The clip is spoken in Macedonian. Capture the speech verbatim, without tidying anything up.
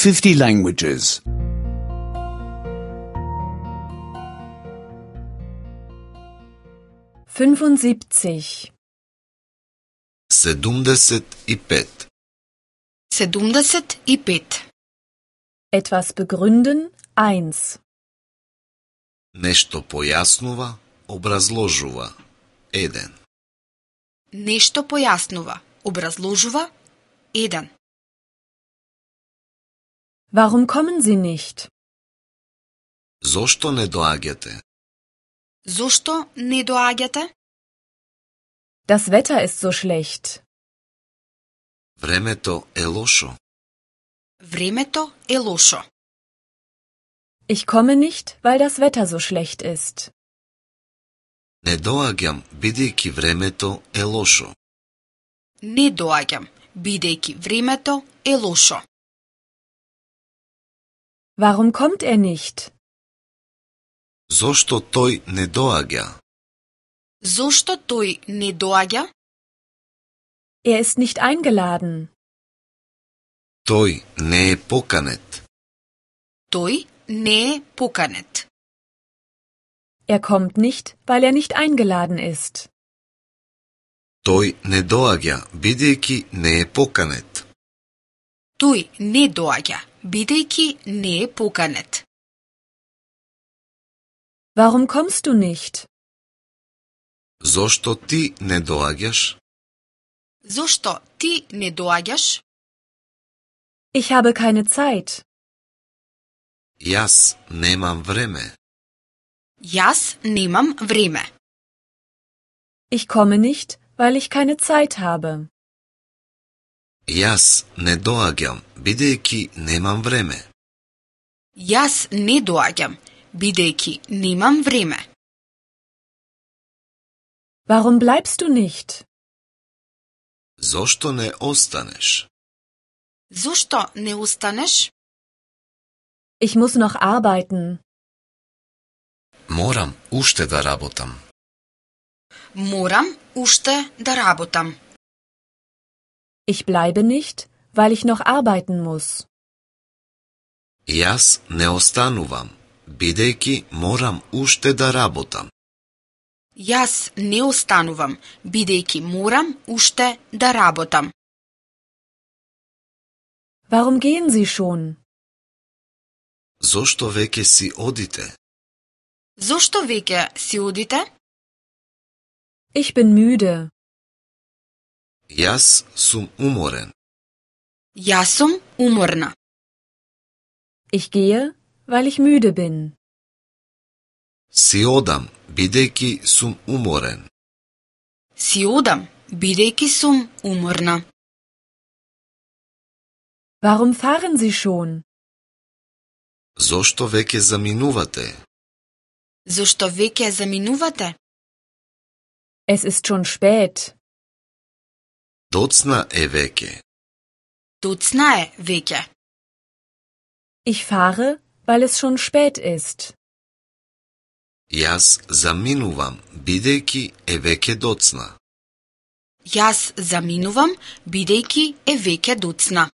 fifty languages. fünfundsiebzig. седумдесет и пет. седумдесет и пет. Etwas begründen, eins. Нешто појаснува, образложува. еден. Нешто појаснува, образложува. еден. Warum kommen Sie nicht? Зошто не доаѓате? Зошто не доаѓате? Das Wetter ist so schlecht. Времето е лошо. Времето е лошо. Ich komme nicht, weil das Wetter so schlecht ist. Не доаѓам, бидејќи времето е лошо. Не доаѓам, бидејќи времето е лошо. Warum kommt er nicht? Зошто тој не доаѓа? Зошто тој не доаѓа? Er ist nicht eingeladen. Тој не е поканет. Тој не е поканет. Er kommt nicht, weil er nicht eingeladen ist. Тој не доаѓа, бидејќи не е поканет. Тој не доаѓа, бидејќи не е поканет. Warum kommst du nicht? Зошто ти не доаѓаш? Зошто ти не доаѓаш? Ich habe keine Zeit. Јас немам време. Јас немам време. Ich komme nicht, weil ich keine Zeit habe. Јас не доаѓам, бидејќи немам време. Јас не доаѓам, бидејќи немам време. Warum bleibst du nicht? Зошто не останеш? Зошто не останеш? Ich muss noch arbeiten. Морам уште да работам. Морам уште да работам. Ich bleibe nicht, weil ich noch arbeiten muss. Јас не останувам, бидејќи морам уште да работам. Јас не останувам, бидејќи морам уште да работам. Warum gehen Sie schon? Зошто веќе си одите? Зошто веќе си одите? Ich bin müde. Јас сум уморен. Јас сум уморна. Ich gehe, weil ich müde bin. Си одам, бидејќи сум уморен. Си одам, бидејќи сум уморна. Warum fahren Sie schon? Зошто веќе заминувате? Зошто веќе заминувате? Es ist schon spät. Доцна е веќе. Доцна е веќе. Ich fahre, weil es schon spät ist. Јас заминувам, бидејќи е веќе доцна. Јас заминувам, бидејќи е веќе доцна.